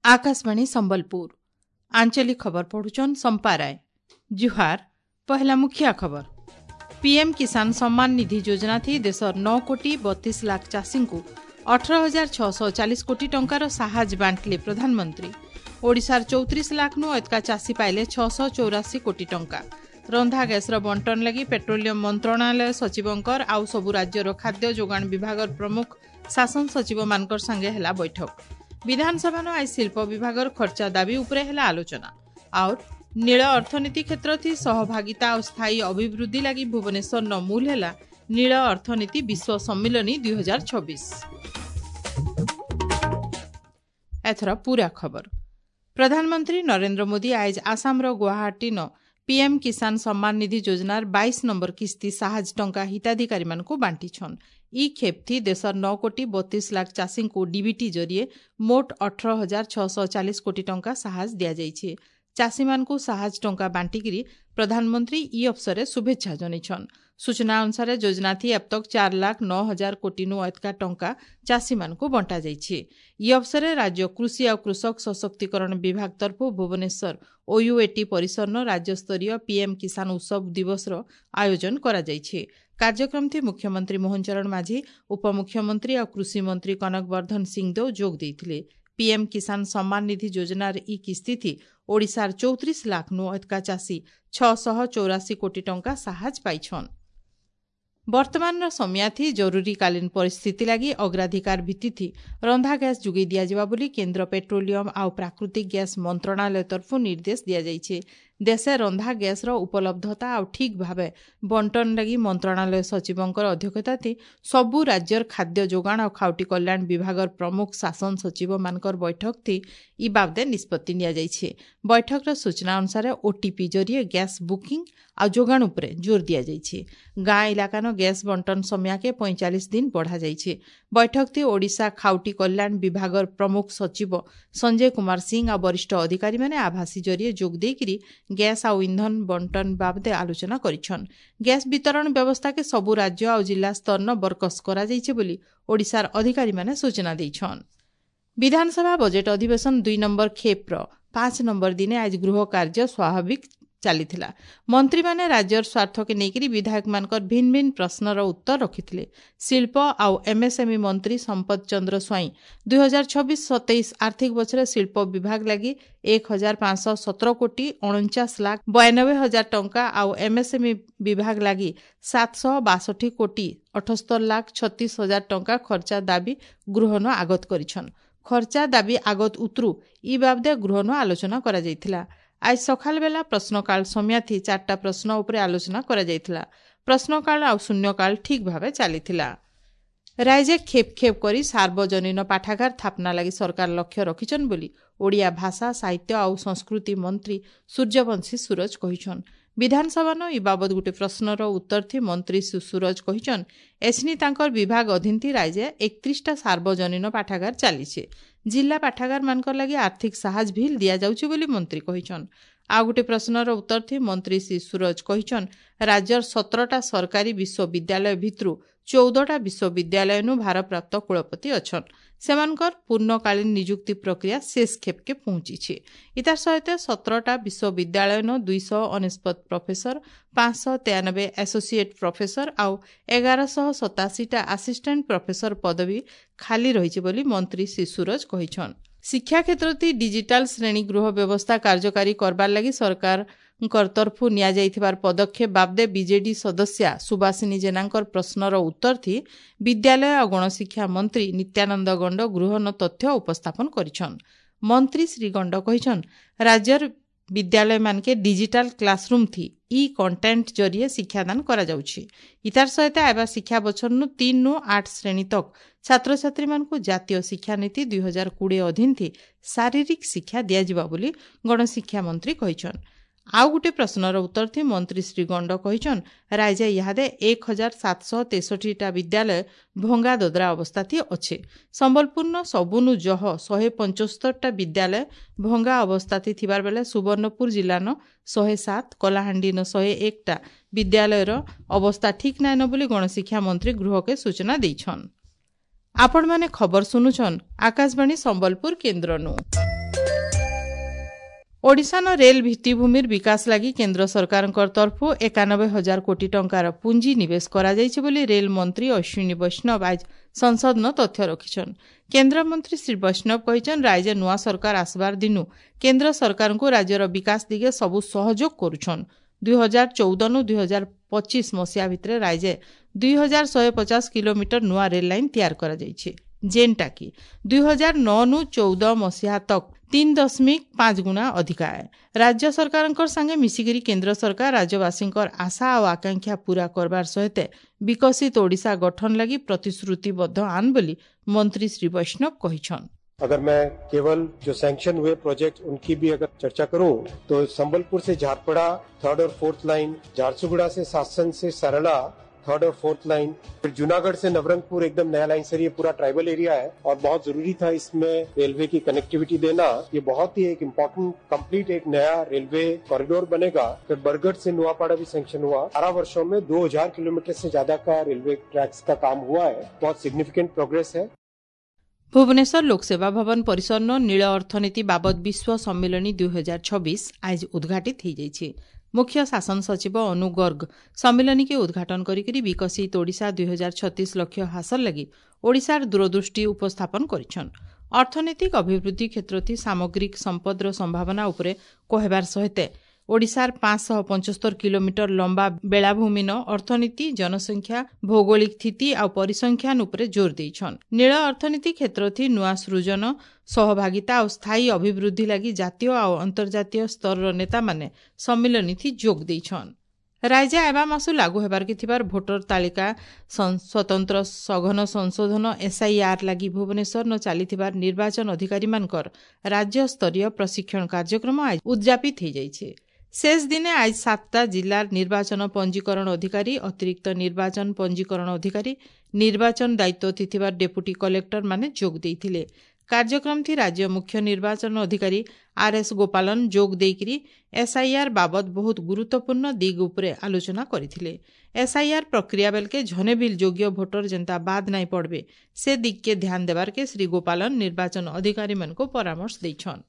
ଆକାଶବାଣୀ ସମ୍ବଲପୁର, ଆଞ୍ଚଳିକ ଖବର ପଢୁଛନ୍ ସମ୍ପା ରାୟ। ଜୁହାର। ପହଲା ମୁଖିଆ ଖବର। ପିଏମ୍ କିଷାନ ସମ୍ମାନ ନିଧି ଯୋଜନା ଥି ଦେଶର 9 କୋଟି 32 ଲାଖ ଚାଷୀଙ୍କୁ 18,640 କୋଟି ଟଙ୍କାର ସାହାଯ୍ୟ ବାଣ୍ଟିଲେ ପ୍ରଧାନମନ୍ତ୍ରୀ। ଓଡ଼ିଶାର 34 ଲାଖନୁ ଏତକା ଚାଷୀ ପାଇଲେ 684 କୋଟି ଟଙ୍କା। ରନ୍ଧା ଗ୍ୟାସ୍ର ବଣ୍ଟନ ଲାଗି ପେଟ୍ରୋଲିୟମ ମନ୍ତ୍ରଣାଳୟ ସଚିବଙ୍କର ଆଉ ସବୁ ରାଜ୍ୟର ଖାଦ୍ୟ ଯୋଗାଣ ବିଭାଗର ପ୍ରମୁଖ ଶାସନ ସଚିବମାନଙ୍କର ସାଙ୍ଗେ ହେଲା ବୈଠକ। ବିଧାନସଭାନ ଆଜି ଶିଳ୍ପ ବିଭାଗର ଖର୍ଚ୍ଚା ଦାବି ଉପରେ ହେଲା ଆଲୋଚନା। ଆଉ ନୀଳ ଅର୍ଥନୀତି କ୍ଷେତ୍ର ଥି ସହଭାଗିତା ଆଉ ସ୍ଥାୟୀ ଅଭିବୃଦ୍ଧି ଲାଗି ଭୁବନେଶ୍ୱର ମୂଲ ହେଲା ନୀଳ ଅର୍ଥନୀତି ବିଶ୍ୱ ସମ୍ମିଳନୀ 2026। ଏଥର ପୁରା ଖବର। ପ୍ରଧାନମନ୍ତ୍ରୀ ନରେନ୍ଦ୍ର ମୋଦି ଆଇଜ ଆସାମର ଗୁଆହାଟୀନ ପିଏମ୍ କିଷାନ ସମ୍ମାନ ନିଧି ଯୋଜନାର 22 ନମ୍ବର କିସ୍ତି ସାହାଯ୍ୟ ଟଙ୍କା ହିତାଧିକାରୀମାନଙ୍କୁ ବାଣ୍ଟିଛନ୍। ଇ ଖେପ୍ଥି ଦେଶର 9 କୋଟି 32 ଲାଖ ଚାଷୀଙ୍କୁ ଡିବିଟି ଜରିଏ ମୋଟ 18,640 କୋଟି ଟଙ୍କା ସାହାଯ୍ୟ ଦିଆଯାଇଛି। ଚାଷୀମାନଙ୍କୁ ସାହାଯ୍ୟ ଟଙ୍କା ବାଣ୍ଟିକିରି ପ୍ରଧାନମନ୍ତ୍ରୀ ଇ ଅବସରରେ ଶୁଭେଚ୍ଛା ଜଣାଇଛନ୍। ସୂଚନା ଅନୁସାରେ ଯୋଜନାଥି ଏବତକ 4 ଲାଖ 9 ହଜାର କୋଟିନୁ ଅଧିକା ଟଙ୍କା ଚାଷୀମାନଙ୍କୁ ବଣ୍ଟାଯାଇଛି। ଇ ଅବସରରେ ରାଜ୍ୟ କୃଷି ଆଉ କୃଷକ ସଶକ୍ତିକରଣ ବିଭାଗ ତରଫରୁ ଭୁବନେଶ୍ୱର ଓୟୁଏଟି ପରିସରନ ରାଜ୍ୟସ୍ତରୀୟ ପିଏମ୍ କିଷାନ ଉତ୍ସବ ଦିବସର ଆୟୋଜନ କରାଯାଇଛି। କାର୍ଯ୍ୟକ୍ରମଥି ମୁଖ୍ୟମନ୍ତ୍ରୀ ମୋହନ ଚରଣ ମାଝୀ, ଉପମୁଖ୍ୟମନ୍ତ୍ରୀ ଆଉ କୃଷିମନ୍ତ୍ରୀ କନକ ବର୍ଦ୍ଧନ ସିଂଦେଓ ଯୋଗ ଦେଇଥିଲେ। ପିଏମ୍ କିଷାନ ସମ୍ମାନ ନିଧି ଯୋଜନାର ଇ କିସ୍ତିଥି ଓଡ଼ିଶାର 34 ଲାଖନୁ ଅଧିକା ଚାଷୀ 684 କୋଟି ଟଙ୍କା ସାହାଯ୍ୟ ପାଇଛନ୍। ବର୍ତ୍ତମାନର ସମିୟାଥି ଜରୁରୀକାଳୀନ ପରିସ୍ଥିତି ଲାଗି ଅଗ୍ରାଧିକାର ଭିତ୍ତିଥି ରନ୍ଧା ଗ୍ୟାସ୍ ଯୋଗାଇ ଦିଆଯିବା ବୋଲି କେନ୍ଦ୍ର ପେଟ୍ରୋଲିୟମ ଆଉ ପ୍ରାକୃତିକ ଗ୍ୟାସ୍ ମନ୍ତ୍ରଣାଳୟ ତରଫରୁ ନିର୍ଦ୍ଦେଶ ଦିଆଯାଇଛି। ଦେଶେ ରନ୍ଧା ଗ୍ୟାସ୍ର ଉପଲବ୍ଧତା ଆଉ ଠିକ୍ ଭାବେ ବଣ୍ଟନ ଲାଗି ମନ୍ତ୍ରଣାଳୟ ସଚିବଙ୍କର ଅଧ୍ୟକ୍ଷତାଥି ସବୁ ରାଜ୍ୟର ଖାଦ୍ୟ ଯୋଗାଣ ଆଉ ଖାଉଟି କଲ୍ୟାଣ ବିଭାଗର ପ୍ରମୁଖ ଶାସନ ସଚିବମାନଙ୍କର ବୈଠକଥି ଇ ବାବଦେ ନିଷ୍ପତ୍ତି ନିଆଯାଇଛି। ବୈଠକର ସୂଚନା ଅନୁସାରେ ଓଟିପି ଜରିଏ ଗ୍ୟାସ୍ ବୁକିଂ ଆଉ ଯୋଗାଣ ଉପରେ ଜୋର ଦିଆଯାଇଛି। ଗାଁ ଇଲାକାନ ଗ୍ୟାସ୍ ବଣ୍ଟନ ସମୟାକେ 45 ଦିନ ବଢ଼ାଯାଇଛି। ବୈଠକଥି ଓଡ଼ିଶା ଖାଉଟି କଲ୍ୟାଣ ବିଭାଗର ପ୍ରମୁଖ ସଚିବ ସଞ୍ଜୟ କୁମାର ସିଂ ଆଉ ବରିଷ୍ଠ ଅଧିକାରୀମାନେ ଆଭାସୀ ଜରିଏ ଯୋଗ ଦେଇକିରି ଗ୍ୟାସ୍ ଆଉ ଇନ୍ଧନ ବଣ୍ଟନ ବାବଦେ ଆଲୋଚନା କରିଛନ୍। ଗ୍ୟାସ୍ ବିତରଣ ବ୍ୟବସ୍ଥାକେ ସବୁ ରାଜ୍ୟ ଆଉ ଜିଲ୍ଲା ସ୍ତରନ ବରକସ କରାଯାଇଛି ବୋଲି ଓଡ଼ିଶାର ଅଧିକାରୀମାନେ ସୂଚନା ଦେଇଛନ୍। ବିଧାନସଭା ବଜେଟ୍ ଅଧିବେଶନ 2 ନମ୍ବର ଖେପ୍ର 5 ନମ୍ବର ଦିନେ ଆଜି ଗୃହ କାର୍ଯ୍ୟ ସ୍ୱାଭାବିକ ଚାଲିଥିଲା। ମନ୍ତ୍ରୀମାନେ ରାଜ୍ୟର ସ୍ୱାର୍ଥକେ ନେଇକରି ବିଧାୟକମାନଙ୍କର ଭିନ୍ନ ଭିନ୍ନ ପ୍ରଶ୍ନର ଉତ୍ତର ରଖିଥିଲେ। ଶିଳ୍ପ ଆଉ ଏମ୍ଏସ୍ଏମ୍ଇ ମନ୍ତ୍ରୀ ସମ୍ପଦ ଚନ୍ଦ୍ର ସ୍ୱାଇଁ 2026-27 ଆର୍ଥିକ ବର୍ଷରେ ଶିଳ୍ପ ବିଭାଗ ଲାଗି 1,517 କୋଟି 49 ଲାଖ 92 ହଜାର ଟଙ୍କା ଆଉ ଏମ୍ଏସ୍ଏମ୍ଇ ବିଭାଗ ଲାଗି 762 କୋଟି 78 ଲାଖ 36 ହଜାର ଟଙ୍କା ଖର୍ଚ୍ଚା ଦାବି ଗୃହନ ଆଗତ କରିଛନ୍। ଖର୍ଚ୍ଚା ଦାବି ଆଗତ ଉତରୁ ଇ ବାବଦେ ଗୃହନ ଆଲୋଚନା କରାଯାଇଥିଲା। ଆଜି ସକାଳ ବେଲା ପ୍ରଶ୍ନକାଳ ସମୟାଥି 4ଟା ପ୍ରଶ୍ନ ଉପରେ ଆଲୋଚନା କରାଯାଇଥିଲା। ପ୍ରଶ୍ନକାଳ ଆଉ ଶୂନ୍ୟକାଳ ଠିକ୍ ଭାବେ ଚାଲିଥିଲା। ରାଇଜେ ଖେପ୍ ଖେପ୍ କରି ସାର୍ବଜନୀନ ପାଠାଗାର ସ୍ଥାପନା ଲାଗି ସରକାର ଲକ୍ଷ୍ୟ ରଖିଛନ୍ ବୋଲି ଓଡ଼ିଆ ଭାଷା ସାହିତ୍ୟ ଆଉ ସଂସ୍କୃତି ମନ୍ତ୍ରୀ ସୂର୍ଯ୍ୟବଂଶୀ ସୂରଜ କହିଛନ୍। ବିଧାନସଭାନ ଇ ବାବଦ ଗୋଟେ ପ୍ରଶ୍ନର ଉତ୍ତରଥି ମନ୍ତ୍ରୀ ସୁରଜ କହିଛନ୍, ଏଛିନି ତାଙ୍କର ବିଭାଗ ଅଧୀନଥି ରାଇଜେ 31ଟା ସାର୍ବଜନୀନ ପାଠାଗାର ଚାଲିছে। ଜିଲ୍ଲା ପାଠାଗାରମାନଙ୍କର ଲାଗି ଆର୍ଥିକ ସାହାଯ୍ୟ ଭିଲ୍ ଦିଆଯାଉଛି ବୋଲି ମନ୍ତ୍ରୀ କହିଛନ୍। ଆଉ ଗୋଟେ ପ୍ରଶ୍ନର ଉତ୍ତରଥି ମନ୍ତ୍ରୀ ଶ୍ରୀ ସୁରଜ କହିଛନ୍, ରାଜ୍ୟର 17ଟା ସରକାରୀ ବିଶ୍ୱବିଦ୍ୟାଳୟ ଭିତରୁ 14ଟା ବିଶ୍ୱବିଦ୍ୟାଳୟନୁ ଭାରପ୍ରାପ୍ତ କୁଳପତି ଅଛନ୍। ସେମାନଙ୍କର ପୂର୍ଣ୍ଣକାଳୀନ ନିଯୁକ୍ତି ପ୍ରକ୍ରିୟା ଶେଷ ଖେପକେ ପହଞ୍ଚିଛି। ଇତାର ସହିତ 17ଟା ବିଶ୍ୱବିଦ୍ୟାଳୟନ 299 ପ୍ରଫେସର, 593 ଆସୋସିଏଟ୍ ପ୍ରଫେସର ଆଉ 1187ଟା ଆସିଷ୍ଟାଣ୍ଟ ପ୍ରଫେସର ପଦବୀ ଖାଲି ରହିଛି ବୋଲି ମନ୍ତ୍ରୀ ଶ୍ରୀ ସୁରଜ କହିଛନ୍। ଶିକ୍ଷା କ୍ଷେତ୍ରତି ଡିଜିଟାଲ ଶ୍ରେଣୀ ଗୃହ ବ୍ୟବସ୍ଥା କାର୍ଯ୍ୟକାରୀ କରବାର୍ ଲାଗି ସରକାରଙ୍କର ତରଫରୁ ନିଆଯାଇଥିବାର ପଦକ୍ଷେପ ବାବଦେ ବିଜେଡି ସଦସ୍ୟା ସୁବାସିନୀ ଜେନାଙ୍କର ପ୍ରଶ୍ନର ଉତ୍ତରଥି ବିଦ୍ୟାଳୟ ଆଉ ଗଣଶିକ୍ଷା ମନ୍ତ୍ରୀ ନିତ୍ୟାନନ୍ଦ ଗଣ୍ଡ ଗୃହନ ତଥ୍ୟ ଉପସ୍ଥାପନ କରିଛନ୍। ମନ୍ତ୍ରୀ ଶ୍ରୀ ଗଣ୍ଡ କହିଛନ୍, ରାଜ୍ୟର ବିଦ୍ୟାଳୟମାନକେ ଡିଜିଟାଲ କ୍ଲାସରୁମ୍ ଥି ଇ କଣ୍ଟେଣ୍ଟ ଜରିଏ ଶିକ୍ଷାଦାନ କରାଯାଉଛି। ଇତାର ସହିତ ଆଇବା ଶିକ୍ଷା ବଛରନୁ 3ରୁ 8 ଶ୍ରେଣୀ ତକ ଛାତ୍ରଛାତ୍ରୀମାନଙ୍କୁ ଜାତୀୟ ଶିକ୍ଷାନୀତି 2020 ଅଧୀନଥି ଶାରୀରିକ ଶିକ୍ଷା ଦିଆଯିବ ବୋଲି ଗଣଶିକ୍ଷା ମନ୍ତ୍ରୀ କହିଛନ୍। ଆଉ ଗୋଟେ ପ୍ରଶ୍ନର ଉତ୍ତରଥି ମନ୍ତ୍ରୀ ଶ୍ରୀ ଗଣ୍ଡ କହିଛନ୍, ରାଇଜେ ଇହାଦେ 1,763ଟା ବିଦ୍ୟାଳୟ ଭଙ୍ଗା ଦଦରା ଅବସ୍ଥାଥି ଅଛେ। ସମ୍ବଲପୁରନ ସବୁନୁ ଜହ 175ଟା ବିଦ୍ୟାଳୟ ଭଙ୍ଗା ଅବସ୍ଥାଥି ଥିବାର ବେଲେ ସୁବର୍ଣ୍ଣପୁର ଜିଲ୍ଲାନ 107, କଳାହାଣ୍ଡିନ 101ଟା ବିଦ୍ୟାଳୟର ଅବସ୍ଥା ଠିକ୍ ନାଇଁନ ବୋଲି ଗଣଶିକ୍ଷା ମନ୍ତ୍ରୀ ଗୃହକେ ସୂଚନା ଦେଇଛନ୍। ଆପଣମାନେ ଖବର ଶୁଣୁଛନ୍ ଆକାଶବାଣୀ ସମ୍ବଲପୁର କେନ୍ଦ୍ରନୁ। ଓଡ଼ିଶାନ ରେଲ୍ ଭିତ୍ତିଭୂମିର ବିକାଶ ଲାଗି କେନ୍ଦ୍ର ସରକାରଙ୍କ ତରଫରୁ 91,000 କୋଟି ଟଙ୍କାର ପୁଞ୍ଜି ନିବେଶ କରାଯାଇଛି ବୋଲି ରେଲ୍ ମନ୍ତ୍ରୀ ଅଶ୍ୱିନୀ ବୈଷ୍ଣବ ଆଜ ସଂସଦନ ତଥ୍ୟ ରଖିଛନ୍। କେନ୍ଦ୍ରମନ୍ତ୍ରୀ ଶ୍ରୀ ବୈଷ୍ଣବ କହିଛନ୍, ରାଜ୍ୟ ନୂଆ ସରକାର ଆସବାର ଦିନୁ କେନ୍ଦ୍ର ସରକାରଙ୍କୁ ରାଜ୍ୟର ବିକାଶ ଦିଗେ ସବୁ ସହଯୋଗ କରୁଛନ୍। 2014ନୁ 2025 ମସିହା ଭିତରେ ରାଜ୍ୟ 2150 କିଲୋମିଟର ନୂଆ ରେଲ୍ ଲାଇନ୍ ତିଆରି କରାଯାଇଛି, ଯେନ୍ଟାକି 2009ନୁ 14 ମସିହା ତକ୍ 3.5 ଗୁଣା ଅଧିକା ଏ। ରାଜ୍ୟ ସରକାରଙ୍କର ସାଙ୍ଗେ ମିଶିକିରି କେନ୍ଦ୍ର ସରକାର ରାଜ୍ୟବାସୀଙ୍କର ଆଶା ଆଉ ଆକାଂକ୍ଷା ପୂରା କରବାର ସହିତ ବିକଶିତ ଓଡ଼ିଶା ଗଠନ ଲାଗି ପ୍ରତିଶ୍ରୁତିବଦ୍ଧ ଆନ୍ ବୋଲି ମନ୍ତ୍ରୀ ଶ୍ରୀ ବୈଷ୍ଣବ କହିଛନ୍। अगर मैं केवल जो सैंक्शन हुए प्रोजेक्ट उनकी भी अगर चर्चा करूं तो संबलपुर से झारपड़ा थर्ड और फोर्थ लाइन, झारसुगुड़ा से सासन से सरला थर्ड और फोर्थ लाइन, फिर जूनागढ़ से नवरंगपुर एकदम नया लाइन। सर ये पूरा ट्राइबल एरिया है और बहुत जरूरी था इसमें रेलवे की कनेक्टिविटी देना। ये बहुत ही एक इम्पोर्टेंट कंप्लीट एक नया रेलवे कॉरिडोर बनेगा। फिर बरगढ़ से नुआपाड़ा भी सैंक्शन हुआ। 18 वर्षों में 2000 किलोमीटर से ज्यादा का रेलवे ट्रैक्स का काम हुआ है। बहुत सिग्निफिकेंट प्रोग्रेस है। ଭୁବନେଶ୍ୱର ଲୋକସେବା ଭବନ ପରିସରନ ନୀଳ ଅର୍ଥନୀତି ବାବଦ ବିଶ୍ୱ ସମ୍ମିଳନୀ 2026 ଆଜି ଉଦ୍ଘାଟିତ ହୋଇଯାଇଛି। ମୁଖ୍ୟ ଶାସନ ସଚିବ ଅନୁ ଗର୍ଗ ସମ୍ମିଳନୀକେ ଉଦ୍ଘାଟନ କରିକିରି ବିକଶିତ ଓଡ଼ିଶା 2036 ଲକ୍ଷ୍ୟ ହାସଲ ଲାଗି ଓଡ଼ିଶାର ଦୂରଦୃଷ୍ଟି ଉପସ୍ଥାପନ କରିଛନ୍। ଅର୍ଥନୈତିକ ଅଭିବୃଦ୍ଧି କ୍ଷେତ୍ରଥି ସାମଗ୍ରିକ ସମ୍ପଦର ସମ୍ଭାବନା ଉପରେ କହିବାର ସହିତ ଓଡ଼ିଶାର 575 କିଲୋମିଟର ଲମ୍ବା ବେଳାଭୂମିନ ଅର୍ଥନୀତି, ଜନସଂଖ୍ୟା, ଭୌଗୋଳିକ ସ୍ଥିତି ଆଉ ପରିସଂଖ୍ୟାନ ଉପରେ ଜୋର ଦେଇଛନ୍। ନୀଳ ଅର୍ଥନୀତି କ୍ଷେତ୍ରଥି ନୂଆ ସୃଜନ, ସହଭାଗିତା ଆଉ ସ୍ଥାୟୀ ଅଭିବୃଦ୍ଧି ଲାଗି ଜାତୀୟ ଆଉ ଅନ୍ତର୍ଜାତୀୟ ସ୍ତରର ନେତାମାନେ ସମ୍ମିଳନୀଥି ଯୋଗ ଦେଇଛନ୍। ରାଜ୍ୟ ହେବା ମାସୁ ଲାଗୁ ହେବାର୍କେ ଥିବାର ଭୋଟର ତାଲିକା ସ୍ୱତନ୍ତ୍ର ସଘନ ସଂଶୋଧନ ଏସ୍ଆଇଆର୍ ଲାଗି ଭୁବନେଶ୍ୱରନ ଚାଲିଥିବାର ନିର୍ବାଚନ ଅଧିକାରୀମାନଙ୍କର ରାଜ୍ୟସ୍ତରୀୟ ପ୍ରଶିକ୍ଷଣ କାର୍ଯ୍ୟକ୍ରମ ଆଜି ଉଦ୍ଯାପିତ ହୋଇଯାଇଛି। ଶେଷ ଦିନେ ଆଜି 7ଟା ଜିଲ୍ଲାର ନିର୍ବାଚନ ପଞ୍ଜୀକରଣ ଅଧିକାରୀ, ଅତିରିକ୍ତ ନିର୍ବାଚନ ପଞ୍ଜୀକରଣ ଅଧିକାରୀ, ନିର୍ବାଚନ ଦାୟିତ୍ୱ ଥିବା ଡେପୁଟି କଲେକ୍ଟର ମାନେ ଯୋଗ ଦେଇଥିଲେ। କାର୍ଯ୍ୟକ୍ରମଥି ରାଜ୍ୟ ମୁଖ୍ୟ ନିର୍ବାଚନ ଅଧିକାରୀ ଆର୍ ଏସ୍ ଗୋପାଲନ ଯୋଗ ଦେଇକରି ଏସ୍ଆଇଆର୍ ବାବଦ ବହୁତ ଗୁରୁତ୍ୱପୂର୍ଣ୍ଣ ଦିଗ ଉପରେ ଆଲୋଚନା କରିଥିଲେ। ଏସ୍ଆଇଆର୍ ପ୍ରକ୍ରିୟା ବେଲକେ ଝନେ ବିଲ୍ ଯୋଗ୍ୟ ଭୋଟର ଯେନ୍ତା ବାଦ ନାଇଁ ପଡ଼ବେ ସେ ଦିଗକେ ଧ୍ୟାନ ଦେବାରକେ ଶ୍ରୀ ଗୋପାଲନ ନିର୍ବାଚନ ଅଧିକାରୀମାନଙ୍କୁ ପରାମର୍ଶ ଦେଇଛନ୍।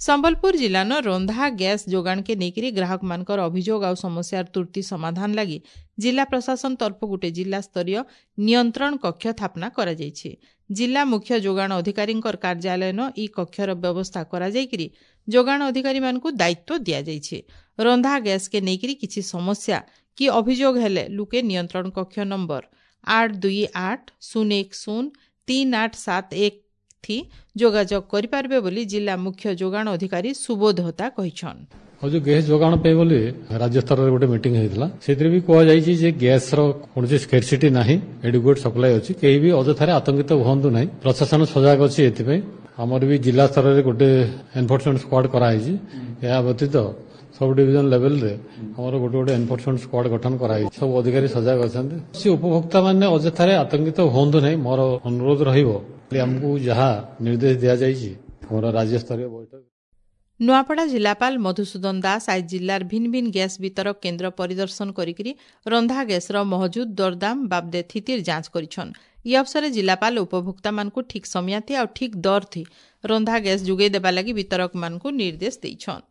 ସମ୍ବଲପୁର ଜିଲ୍ଲାନ ରନ୍ଧା ଗ୍ୟାସ୍ ଯୋଗାଣକେ ନେଇକରି ଗ୍ରାହକମାନଙ୍କର ଅଭିଯୋଗ ଆଉ ସମସ୍ୟାର ତୁର୍ତି ସମାଧାନ ଲାଗି ଜିଲ୍ଲା ପ୍ରଶାସନ ତରଫରୁ ଗୋଟେ ଜିଲ୍ଲାସ୍ତରୀୟ ନିୟନ୍ତ୍ରଣ କକ୍ଷ ସ୍ଥାପନା କରାଯାଇଛି। ଜିଲ୍ଲା ମୁଖ୍ୟ ଯୋଗାଣ ଅଧିକାରୀଙ୍କର କାର୍ଯ୍ୟାଳୟନ ଇ କକ୍ଷର ବ୍ୟବସ୍ଥା କରାଯାଇକରି ଯୋଗାଣ ଅଧିକାରୀମାନଙ୍କୁ ଦାୟିତ୍ୱ ଦିଆଯାଇଛି। ରନ୍ଧା ଗ୍ୟାସ୍କେ ନେଇକରି କିଛି ସମସ୍ୟା କି ଅଭିଯୋଗ ହେଲେ ଲୁକେ ନିୟନ୍ତ୍ରଣ କକ୍ଷ ନମ୍ବର 8 2 8 0 1 0 3 8 7 1 ଥି ଯୋଗାଯୋଗ କରିପାରିବେ ବୋଲି ଜିଲ୍ଲା ମୁଖ୍ୟ ଯୋଗାଣ ଅଧିକାରୀ ସୁବୋଧ ହୋତା କହିଛନ୍। ଆଉ ଯୋଉ ଗ୍ୟାସ୍ ଯୋଗାଣ ପାଇଁ ବୋଲି ରାଜ୍ୟ ସ୍ତରରେ ଗୋଟେ ମିଟିଂ ହେଇଥିଲା, ସେଥିରେ ବି କୁହାଯାଇଛି ଯେ ଗ୍ୟାସ୍ର କୌଣସି ସ୍କେରସିଟି ନାହିଁ, ଏଡିକୁଏଟ୍ ସପ୍ଲାଏ ଅଛି, କେହି ବି ଅଯଥାରେ ଆତଙ୍କିତ ହୁଅନ୍ତୁ ନାହିଁ। ପ୍ରଶାସନ ସଜାଗ ଅଛି ଏଥିପାଇଁ। ଆମର ବି ଜିଲ୍ଲା ସ୍ତରରେ ଗୋଟେ ଏନଫୋର୍ସମେଣ୍ଟ ସ୍କ୍ୱାଡ୍ କରାହେଇଛି। ଏହା ବ୍ୟତୀତ ସବ୍ ଡିଭିଜନ ଲେଭେଲରେ ଆମର ଗୋଟେ ଗୋଟେ ଏନଫୋର୍ସମେଣ୍ଟ ସ୍କ୍ୱାଡ୍ ଗଠନ କରାହେଇଛି। ସବୁ ଅଧିକାରୀ ସଜାଗ ଅଛନ୍ତି। ସେ ଉପଭୋକ୍ତାମାନେ ଅଯଥାରେ ଆତଙ୍କିତ ହୁଅନ୍ତୁ ନାହିଁ, ମୋର ଅନୁରୋଧ ରହିବ। ଆମକୁ ଯାହା ନିର୍ଦ୍ଦେଶ ଦିଆଯାଇଛି ଆମର ରାଜ୍ୟସ୍ତରୀୟ ବୈଠକ। ନୂଆପଡ଼ା ଜିଲ୍ଲାପାଳ ମଧୁସୂଦନ ଦାସ ଆଜି ଜିଲ୍ଲାର ଭିନ୍ନ ଭିନ୍ନ ଗ୍ୟାସ୍ ବିତରକ କେନ୍ଦ୍ର ପରିଦର୍ଶନ କରିକିରି ରନ୍ଧା ଗ୍ୟାସ୍ର ମହଜୁଦ, ଦରଦାମ ବାବଦେ ସ୍ଥିତିର ଯାଞ୍ଚ କରିଛନ୍। ଇ ଅବସରରେ ଜିଲ୍ଲାପାଳ ଉପଭୋକ୍ତାମାନଙ୍କୁ ଠିକ୍ ସମୟାଥି ଆଉ ଠିକ୍ ଦରଥି ରନ୍ଧା ଗ୍ୟାସ୍ ଯୋଗାଇ ଦେବା ଲାଗି ବିତରକମାନଙ୍କୁ ନିର୍ଦ୍ଦେଶ ଦେଇଛନ୍।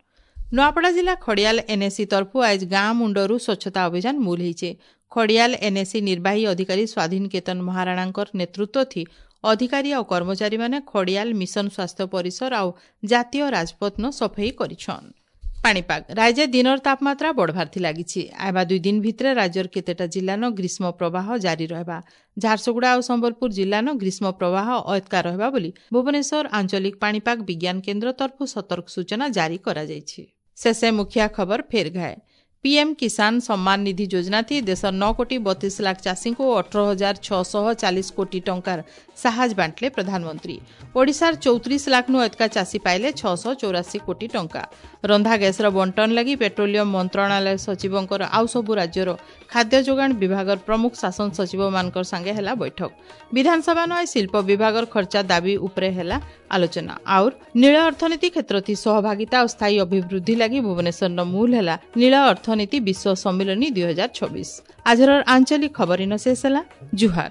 ନୂଆପଡ଼ା ଜିଲ୍ଲା ଖଡ଼ିଆଲ ଏନ୍ଏସି ତରଫରୁ ଆଜି ଗାଁ ମୁଣ୍ଡରୁ ସ୍ୱଚ୍ଛତା ଅଭିଯାନ ମୂଲ ହେଇଛେ। ଖଡ଼ିଆଲ ଏନ୍ଏସି ନିର୍ବାହୀ ଅଧିକାରୀ ସ୍ୱାଧୀନ କେତନ ମହାରାଣାଙ୍କର ନେତୃତ୍ୱ ଥି ଅଧିକାରୀ ଆଉ କର୍ମଚାରୀମାନେ ଖଡ଼ିଆଲ ମିଶନ ସ୍ୱାସ୍ଥ୍ୟ ପରିସର ଆଉ ଜାତୀୟ ରାଜପଥନ ସଫେଇ କରିଛନ୍। ପାଣିପାଗ ରାଜ୍ୟ ଦିନର ତାପମାତ୍ରା ବଢ଼ବାର୍ଥି ଲାଗିଛି। ଆଇବା 2 ଦିନ ଭିତରେ ରାଜ୍ୟର କେତେଟା ଜିଲ୍ଲାନ ଗ୍ରୀଷ୍ମ ପ୍ରବାହ ଜାରି ରହିବା। ଝାରସୁଗୁଡ଼ା ଆଉ ସମ୍ବଲପୁର ଜିଲ୍ଲାନ ଗ୍ରୀଷ୍ମ ପ୍ରବାହ ଅଏତକା ରହିବା ବୋଲି ଭୁବନେଶ୍ୱର ଆଞ୍ଚଳିକ ପାଣିପାଗ ବିଜ୍ଞାନ କେନ୍ଦ୍ର ତରଫରୁ ସତର୍କ ସୂଚନା ଜାରି କରାଯାଇଛି। ଶେଷେ ମୁଖିଆ ଖବର ଫେର ଘାଏ। पीएम किसान सम्मान निधि योजना थी देशर 9 कोटी 32 लाख चाषी को 18,640 कोटी टंकार साहाଯ୍य बांटले प्रधानमंत्री। ओडिशार 34 लाख नु अधिका चाषी पाइले 684 कोटी टंका। रंधा गैसर बंटन लगी पेट्रोलियम मंत्रणालय सचिवंकर आउ सबु राज्यर खाद्य जोगाण विभागर प्रमुख शासन सचिव मानकर संगे हेला बैठक। विधानसभा न शिल्प विभागर खर्चा दाबी उपरे हेला आलोचना। और नील अर्थनीति क्षेत्र थी सहभागिता और स्थायी अभिवृद्धि लगी भुवनेश्वर मूल हेला नील अर्थनीति विश्व सम्मिलनी 2026। आजर आंचलिक खबर इन शेष ହେଲା। जुहार।